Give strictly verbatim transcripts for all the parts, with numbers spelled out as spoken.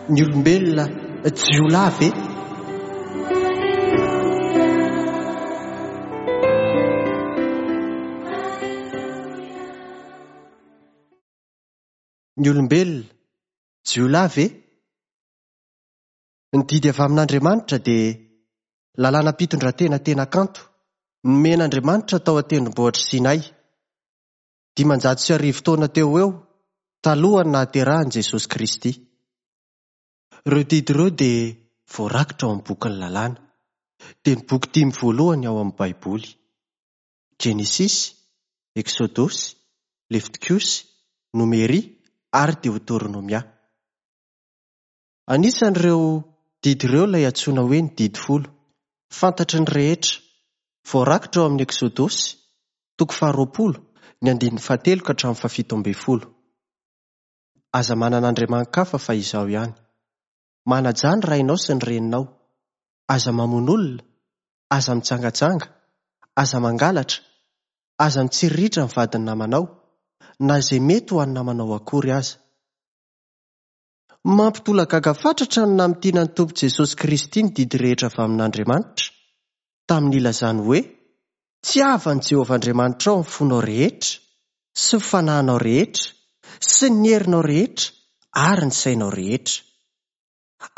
Ny olombelona jiolahy ve? Ny olombelona jiolahy ve? Ny didy avy amin'Andriamanitra dia lalànam-pitondran-tena tena kanto nomen'Andriamanitra tao an-tendrombohitra Sinay, dimanjato sy arivo taona teo ho eo talohan'ny nahaterahan'i Jesosy Kristy. Ireo didy ireo dia voarakitra ao amin'ny bokin'ny lalàna, dia ny boky dimy voalohany ao amin'ny Baiboly: Genesisy, Eksodosy, Levitikosy, Nomeria ary Deoteronomia. Anisan'ireo didy ireo ilay antsoina hoe ny didy folo, fantatry ny rehetra, voarakitra ao amin'ny Eksodosy, toko faharoapolo, ny andininy fahatelo ka hatramin'ny fahafito ambin'ny folo. Aza manana andriamani-kafa fa izaho ihany. Manajà ny rainao sy ny reninao. Aza mamono olona, aza mijangajanga, aza mangalatra, aza mitsiriritra ny vadin'ny namanao, na izay mety ho an'ny namanao akory aza. Mampitolagaga fatratra ny namintinan'ny Tompo Jesosy Kristy ny didy rehetra avy amin'Andriamanitra, tamin'ny ilazany hoe: Tiava an'i Jehovah Andriamanitrao amin'ny fonao rehetra, sy ny fanahinao rehetra, sy ny herinao rehetra ary ny sainao rehetra.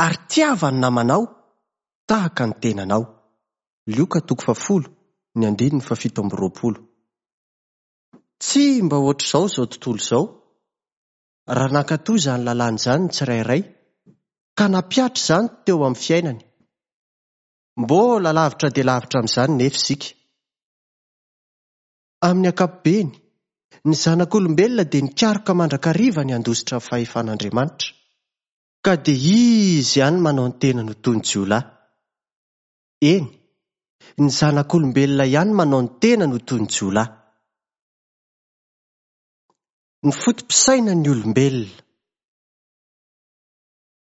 Ary tiava ny namanao tahaka ny tenanao. Lioka toko fahafolo, ny andininy fahafito amby roapolo. Tsy mba ohatr'izao izao tontolo izao, raha nankatò izany lalàna izany ny tsirairay, ka nampihatra izany teo amin'ny fiainany. Mbola lavitra dia lavitra amin'izany nefa isika. Amin'ny ankapobeny, ny zanak'olombelona dia nikaroka mandrakariva ny handositra ny fahefan'Andriamanitra, ka dia izy ihany manao ny tenany ho toy ny jiolahy. Eny, ny zanak'olombelona ihany manao ny tenany ho toy ny jiolahy. Ny foto-pisainan'ny olombelona.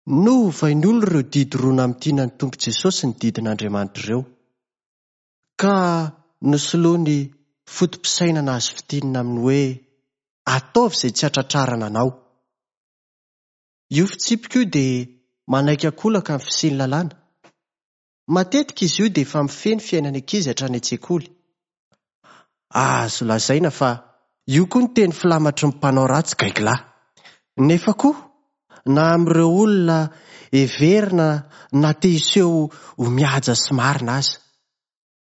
Novain'ny olona ireo didy roa namintinan'ny Tompo Jesosy ny didin'Andriamanitra ireo, ka nosoloany foto-pisainana azo fintinina amin'ny hoe ataovy izay tsy hatratrarana anao. Io fitsipika io dia manaiky ankolaka ny fisian'ny lalàna. Matetika izy io dia efa mifehy ny fiainan'ny ankizy hatrany an-tsekoly. Azo lazaina fa io koa ny teny filamatry ny mpanao ratsy gaigilahy. Nefa koa, na amin'ireo olona heverina na te hiseho ho mihaja sy marina aza,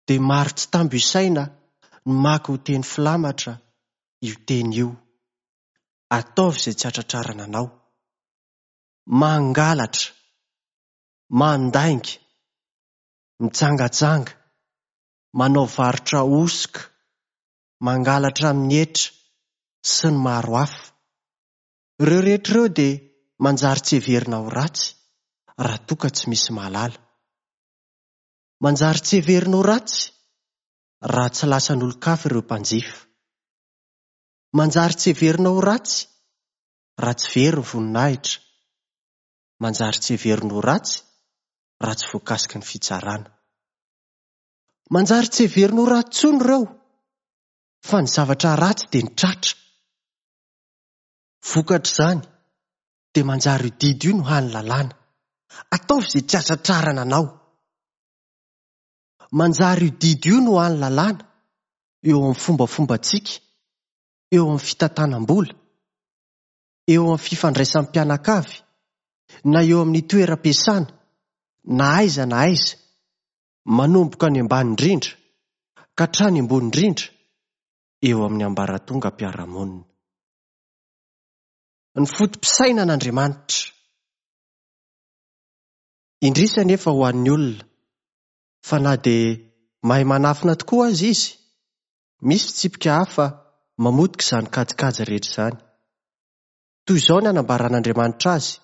dia maro tsy tambo isaina ny maka ho teny filamatra io teny io. Ataovy izay tsy hatratrarana anao. Mangalatra, mandainga, mijangajanga, manao varotra hosoka, mangalatra amin'ny hetra sy ny maro hafa. Ireo rehetra ireo dia manjary tsy heverina ho ratsy raha toa ka tsy misy mahalala. Manjary tsy heverina ho ratsy raha tsy lasan'olon-kafa ireo mpanjifa. Manjary tsy heverina ho ratsy raha tsy very ny voninahitra. Manjary tsy heverina ho ratsy raha tsy voakasiky ny fitsarana. Manjary tsy heverina ho ratsy intsony ireo, fa ny zavatra ratsy dia ny tratra. Vokatr'izany dia manjary io didy io no hany lalàna. Ataovy izay tsy hatratrarana anao. Manjary io didy io no hany lalàna eo amin'ny fombafombantsika, eo amin'ny fitantanam-bola, eo amin'ny fifandraisan'ny mpianakavy, na eo amin'ny toeram-piasana, na aiza na aiza, manomboka any ambany indrindra ka hatrany ambony indrindra eo amin'ny ambaratongam-piarahamonina. Ny foto-pisainan'Andriamanitra. Indrisy anefa ho an'ny olona, fa na dia mahay manafina tokoa aza izy, misy fitsipika hafa mamotika izany kajikajy rehetra izany. Toy izao ny anambaran'Andriamanitra azy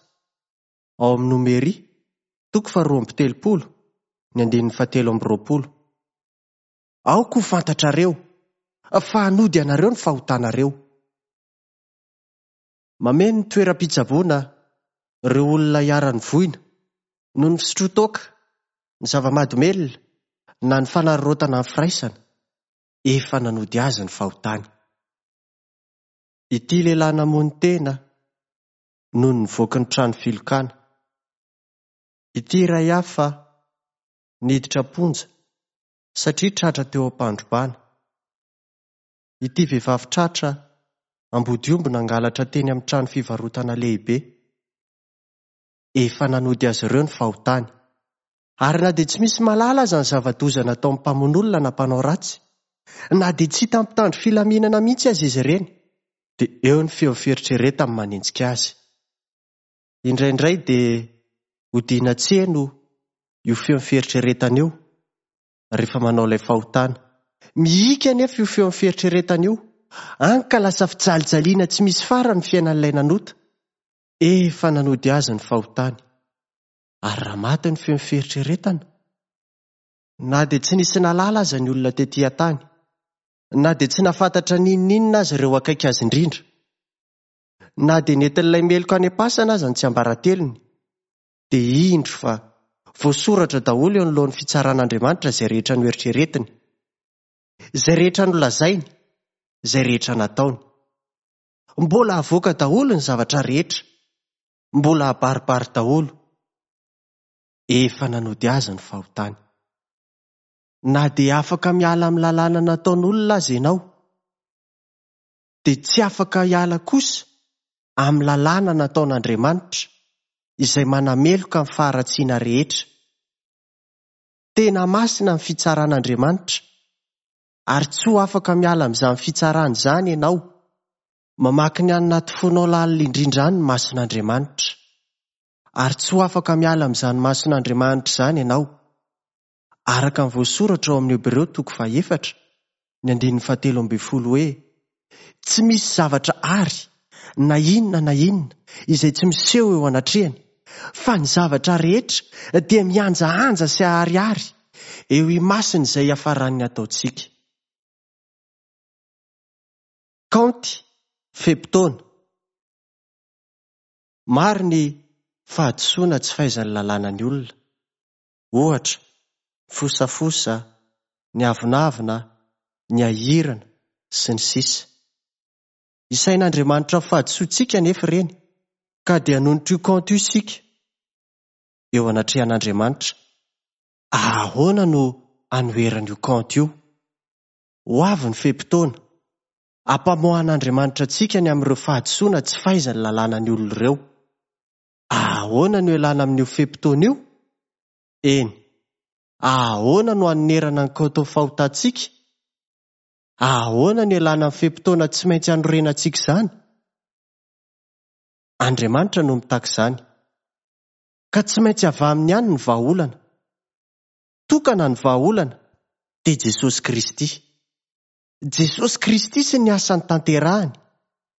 ao amin'ny Nomeria, toko faharoa amby telopolo, ny andininy fahatelo amby roapolo. Aoka ho fantatrareo fa hanody anareo ny fahotanareo. Mameno ny toeram-pitsaboana ireo olona iharan'ny voina noho ny fisotroan-toaka, ny zava-mahadomelina na ny fanararaotana ny firaisana. Efa nanody azy ny fahotany. Ity lehilahy namono tena noho ny nivoaky ny trano filokana. Ity iray hafa niditra am-ponja satria tratra teo am-pandrobana. Ity vehivavy tratra ambodiomby nangalatra teny amin'ny trano fivarotana lehibe. Efa nanody azy ireo ny fahotany. Ary na dia tsy misy mahalala aza ny zava-doza nataon'ny mpamono olona na mpanao ratsy, na dia tsy hita mpitandro filaminana mihitsy aza izy ireny, dia eo ny feo fieritreretany manenjika azy. Indraindray dia odiana tsy heno io feo fieritreretana io rehefa manao ilay fahotana. Mihika anefa io feo fieritreretana io, hany ka lasa fijalijaliana tsy misy farany ny fiainan'ilay nanota. Efa nanody azy ny fahotany. Ary raha maty ny feo fieritreretana, na dia tsy nisy nahalala aza ny olona tetỳ an-tany, na dia tsy nahafantatra n'inon'inona aza ireo akaiky azy indrindra, na dia nentin'ilay meloka any am-pasana aza ny tsiambaratelony, dia indro fa voasoratra daholo eo anoloan'ny fitsaran'Andriamanitra izay rehetra noeritreretiny, izay rehetra nolazainy, izay rehetra nataony. Mbola avoaka daholo ny zavatra rehetra, mbola abaribary daholo. Efa nanody azy ny fahotany. Na dia afaka miala amin'ny lalàna nataon'olona aza ianao, dia tsy afaka hiala kosa amin'ny lalàna nataon'Andriamanitra izay manameloka ny faharatsiana rehetra. Tena masina ny fitsaran'Andriamanitra, ary tsy ho afaka miala amin'izany fitsarana izany ianao. Mamaky ny any anaty fonao lalina indrindra any ny mason'Andriamanitra, ary tsy ho afaka miala amin'izany mason'Andriamanitra izany ianao. Araka ny voasoratra ao amin'ny Hebreo toko fahefatra, ny andininy fahatelo ambin'ny folo hoe: tsy misy zavatra ary na inona na inona izay tsy miseho eo anatrehany, fa ny zavatra rehetra dia mihanjahanja sy aharihary eo imasiny izay hiafaran'ny ataontsika. Kaonty fe-potoana. Maro ny fahadisoana tsy fahaizan'ny lalàna ny olona. Ohatra, fosafosa, ny avonavona, ny ahirana sy ny sisa. Isain'Andriamanitra fahadisoantsika anefa ireny, ka dia hanonitra io kaonty io isika eo anatrehan'Andriamanitra. Ahoana no anoherana io kaonty io? Ho avy ny fe-potoana ampamoahan'Andriamanitra antsika ny amin'ireo fahadisoana tsy fahaizan'ny lalàna ny olona ireo. Ahoana no ialana amin'io fe-potoana io? Eny, ahoana no hanonerana ny kaontin'ny fahotantsika? Ahoana no ialana amin'ny fe-potoana tsy maintsy hanorenantsika izany? Andriamanitra no mitaky izany, ka tsy maintsy avy aminy ihany ny vahaolana. Tokana ny vahaolana, dia Jesosy Kristy. Jesosy Kristy sy ny asany tanterahany,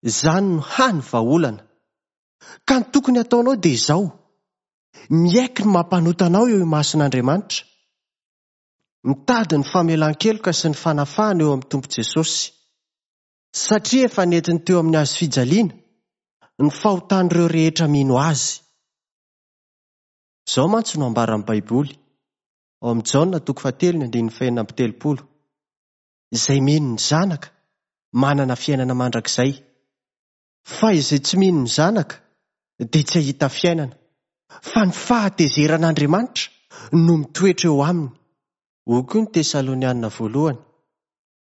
izany no hany vahaolana. Ka ny tokony hataonao dia izao: miaiky ny mampanota anao eo imason'Andriamanitra, mitady ny famelan-keloka sy ny fanafahana eo amin'ny Tompo Jesosy, satria efa nentiny teo amin'ny hazo fijaliana ny fahotan'ireo rehetra mino azy. Izao mantsy no ambaran'ny Baiboly ao amin'ny Jaona toko fahatelo ny andininy fahenina amby telopolo: izay mino ny Zanaka manana fiainana mandrakizay, fa izay tsy mino ny Zanaka dia tsy hahita fiainana, fa ny fahatezeran'Andriamanitra no mitoetra eo aminy. Hoy koa ny Tesalonianina voalohany,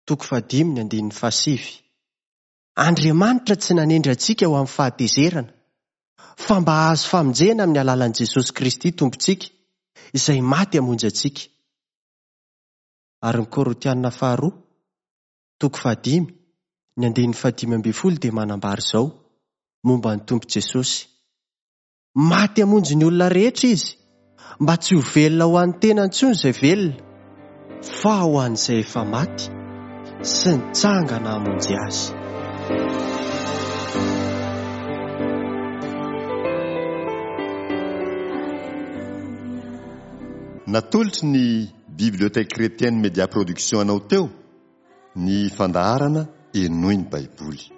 toko fahadimy ny andininy fahasivy: Andriamanitra tsy nanendry antsika ho amin'ny fahatezerana, fa mba hahazo famonjena amin'ny alalan'i Jesosy Kristy Tompontsika, izay maty hamonjy antsika. Ary ny Korintianina faharoa, toko fahadimy, ny andininy fahadimy ambin'ny folo dia manambara izao momba ny Tompo Jesosy: maty hamonjy ny olona rehetra izy, mba tsy ho velona ho an'ny tena intsony izay velona, fa ho an'izay efa maty sy nitsangana hamonjy azy. Natolotry ny Bibliothèque Chrétienne Média Production anao teo ny fandaharana Henoy ny Baiboly.